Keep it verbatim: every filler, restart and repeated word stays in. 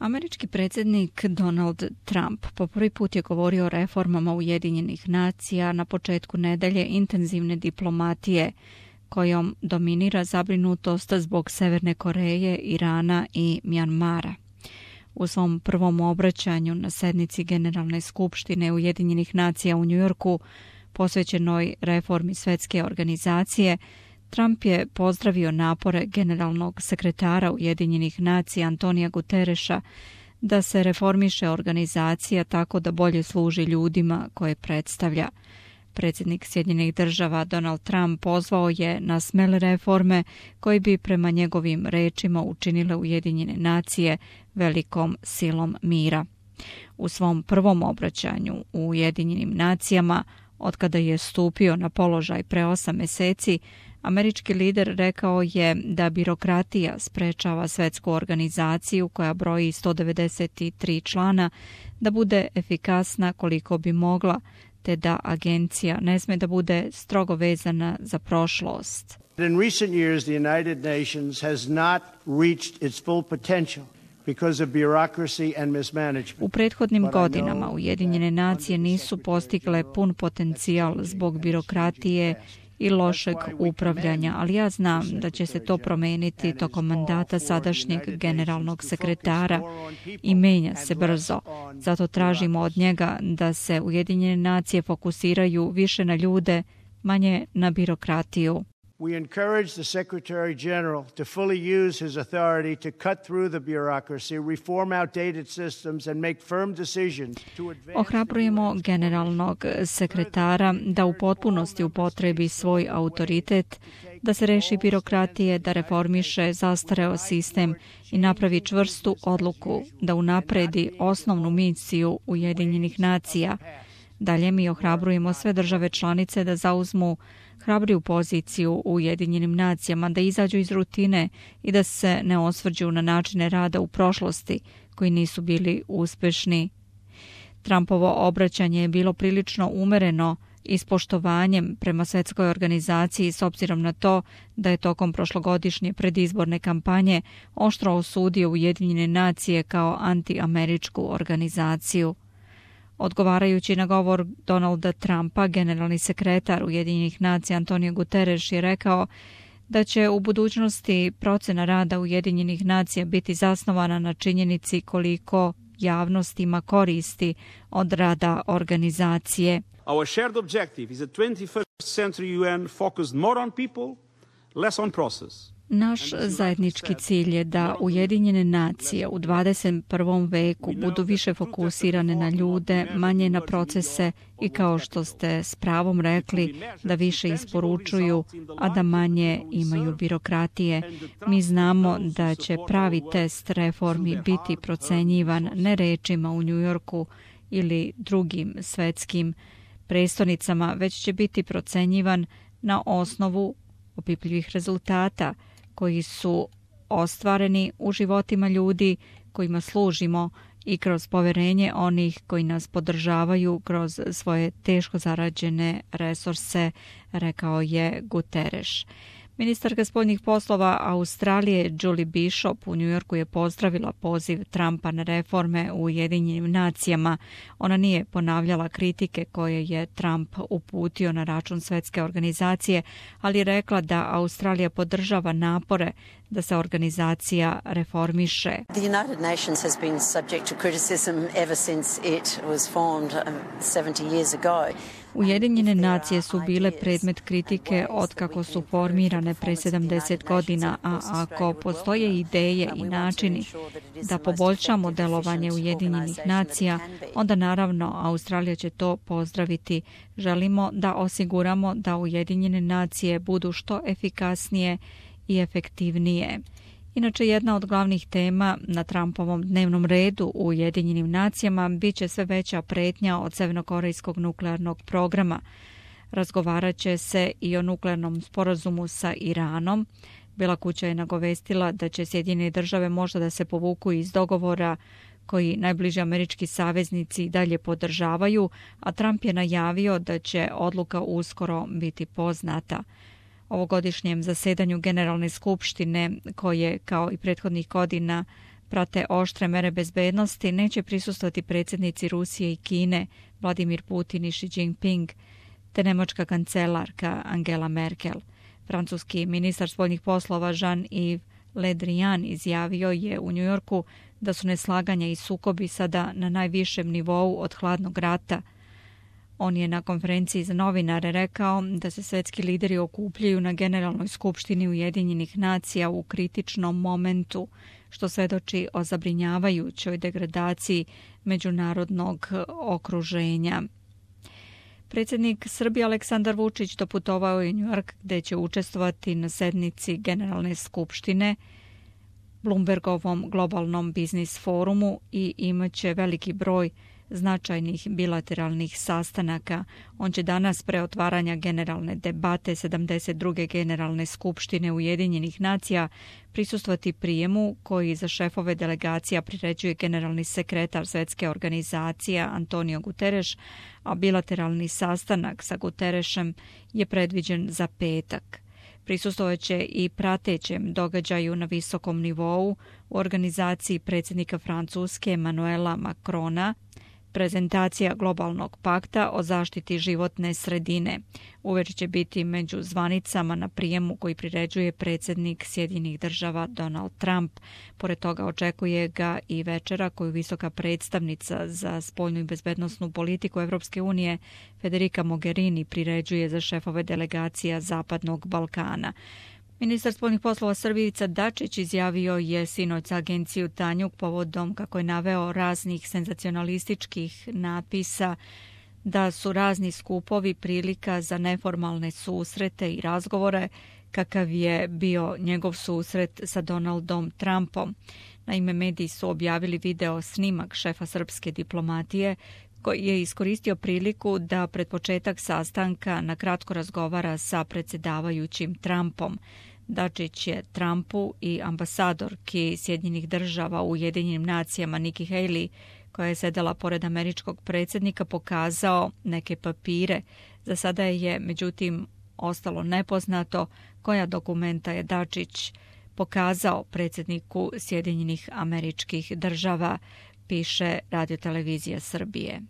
Američki predsjednik Donald Trump po prvi put je govorio o reformama Ujedinjenih nacija na početku nedelje intenzivne diplomatije, kojom dominira zabrinutost zbog Severne Koreje, Irana i Mjanmara. U svom prvom obraćanju na sednici Generalne skupštine Ujedinjenih nacija u Njujorku, posvećenoj reformi Svjetske organizacije, Trump je pozdravio napore generalnog sekretara Ujedinjenih nacija Antonija Gutereša da se reformiše organizacija tako da bolje služi ljudima koje predstavlja. Predsjednik Sjedinjenih država Donald Trump pozvao je na smele reforme koji bi prema njegovim rečima učinile Ujedinjene nacije velikom silom mira. U svom prvom obraćanju u Ujedinjenim nacijama, otkada je stupio na položaj pre osam mjeseci, američki lider rekao je da birokratija sprečava svjetsku organizaciju koja broji sto devedeset tri člana da bude efikasna koliko bi mogla, te da agencija ne sme da bude strogo vezana za prošlost. In recent years, the United Nations has not reached its full potential because of bureaucracy and mismanagement. U prethodnim godinama Ujedinjene nacije nisu postigle pun potencijal zbog birokratije i lošeg upravljanja, ali ja znam da će se to promijeniti tokom mandata sadašnjeg generalnog sekretara i menja se brzo. Zato tražimo od njega da se Ujedinjene nacije fokusiraju više na ljude, manje na birokratiju. We encourage the Secretary General to fully use his authority to cut through the bureaucracy, reform outdated systems and make firm decisions to advance. Ohrabrujemo generalnog sekretara da u potpunosti upotrebi svoj autoritet, da se reši birokratije, da reformiše zastareo sistem i napravi čvrstu odluku da unapredi osnovnu misiju Ujedinjenih nacija. Dalje mi ohrabrujemo sve države članice da zauzmu hrabriju poziciju u Ujedinjenim nacijama, da izađu iz rutine i da se ne osvrđu na načine rada u prošlosti koji nisu bili uspješni. Trumpovo obraćanje je bilo prilično umereno i s poštovanjem prema Svjetskoj organizaciji s obzirom na to da je tokom prošlogodišnje predizborne kampanje oštro osudio Ujedinjene nacije kao antiameričku organizaciju. Odgovarajući na govor Donalda Trumpa, generalni sekretar Ujedinjenih nacija Antonio Guterres je rekao da će u budućnosti procena rada Ujedinjenih nacija biti zasnovana na činjenici koliko javnost ima koristi od rada organizacije. Our shared objective is a twenty-first century U N focused more on people, less on process. Naš zajednički cilj je da Ujedinjene nacije u dvadeset prvom veku budu više fokusirane na ljude, manje na procese i, kao što ste s pravom rekli, da više isporučuju, a da manje imaju birokratije. Mi znamo da će pravi test reformi biti procenjivan ne rečima u Njujorku ili drugim svetskim prestonicama, već će biti procenjivan na osnovu opipljivih rezultata koji su ostvareni u životima ljudi kojima služimo i kroz poverenje onih koji nas podržavaju kroz svoje teško zarađene resurse, rekao je Guterres. Ministarka spoljnih poslova Australije Julie Bishop u Njujorku je pozdravila poziv Trumpa na reforme u Ujedinjenim nacijama. Ona nije ponavljala kritike koje je Trump uputio na račun Svjetske organizacije, ali je rekla da Australija podržava napore da se organizacija reformiše. The United Nations has been subject to criticism ever since it was formed seventy years ago. Ujedinjene nacije su bile predmet kritike otkako su formirane pre sedamdeset godina, a ako postoje ideje i načini da poboljšamo delovanje Ujedinjenih nacija, onda naravno Australija će to pozdraviti. Želimo da osiguramo da Ujedinjene nacije budu što efikasnije i efektivnije. Inače, jedna od glavnih tema na Trumpovom dnevnom redu u Ujedinjenim nacijama bit će sve veća pretnja od severnokorejskog nuklearnog programa. Razgovarat će se i o nuklearnom sporazumu sa Iranom. Bela kuća je nagovestila da će Sjedinjene države možda da se povuku iz dogovora koji najbliži američki saveznici dalje podržavaju, a Trump je najavio da će odluka uskoro biti poznata. Ovogodišnjem zasedanju Generalne skupštine, koje kao i prethodnih godina prate oštre mere bezbednosti, neće prisustvovati predsjednici Rusije i Kine, Vladimir Putin i Xi Jinping, te nemačka kancelarka Angela Merkel. Francuski ministar spoljnih poslova Jean-Yves Le Drian izjavio je u Njujorku da su neslaganja i sukobi sada na najvišem nivou od hladnog rata. On je na konferenciji za novinare rekao da se svetski lideri okupljaju na Generalnoj skupštini Ujedinjenih nacija u kritičnom momentu, što svedoči o zabrinjavajućoj degradaciji međunarodnog okruženja. Predsjednik Srbije Aleksandar Vučić doputovao je u Njujork gdje će učestvovati na sednici Generalne skupštine, Bloombergovom globalnom biznis forumu i imaće veliki broj značajnih bilateralnih sastanaka. On će danas pre otvaranja generalne debate sedamdeset druge Generalne skupštine Ujedinjenih nacija prisustvovati prijemu koji za šefove delegacija priređuje generalni sekretar Svjetske organizacije Antonio Guterres, a bilateralni sastanak sa Guterresem je predviđen za petak. Prisustvovaće i pratećem događaju na visokom nivou u organizaciji predsjednika Francuske Emmanuela Macrona, prezentacija globalnog pakta o zaštiti životne sredine. Uveče će biti među zvanicama na prijemu koji priređuje predsjednik Sjedinjenih država Donald Trump. Pored toga očekuje ga i večera koju visoka predstavnica za spoljnu i bezbednosnu politiku Evropske unije Federica Mogherini priređuje za šefove delegacija Zapadnog Balkana. Ministar spoljnih poslova Srbije Ivica Dačić izjavio je sinoć za agenciju Tanjug povodom, kako je naveo, raznih senzacionalističkih napisa da su razni skupovi prilika za neformalne susrete i razgovore, kakav je bio njegov susret sa Donaldom Trumpom. Naime, mediji su objavili video snimak šefa srpske diplomatije koji je iskoristio priliku da pred početak sastanka na kratko razgovara sa predsjedavajućim Trumpom. Dačić je Trumpu i ambasadorki Sjedinjenih država u Ujedinjenim nacijama Nikki Haley, koja je sedela pored američkog predsjednika, pokazao neke papire. Za sada je, međutim, ostalo nepoznato koja dokumenta je Dačić pokazao predsjedniku Sjedinjenih američkih država, piše Radio Televizija Srbije.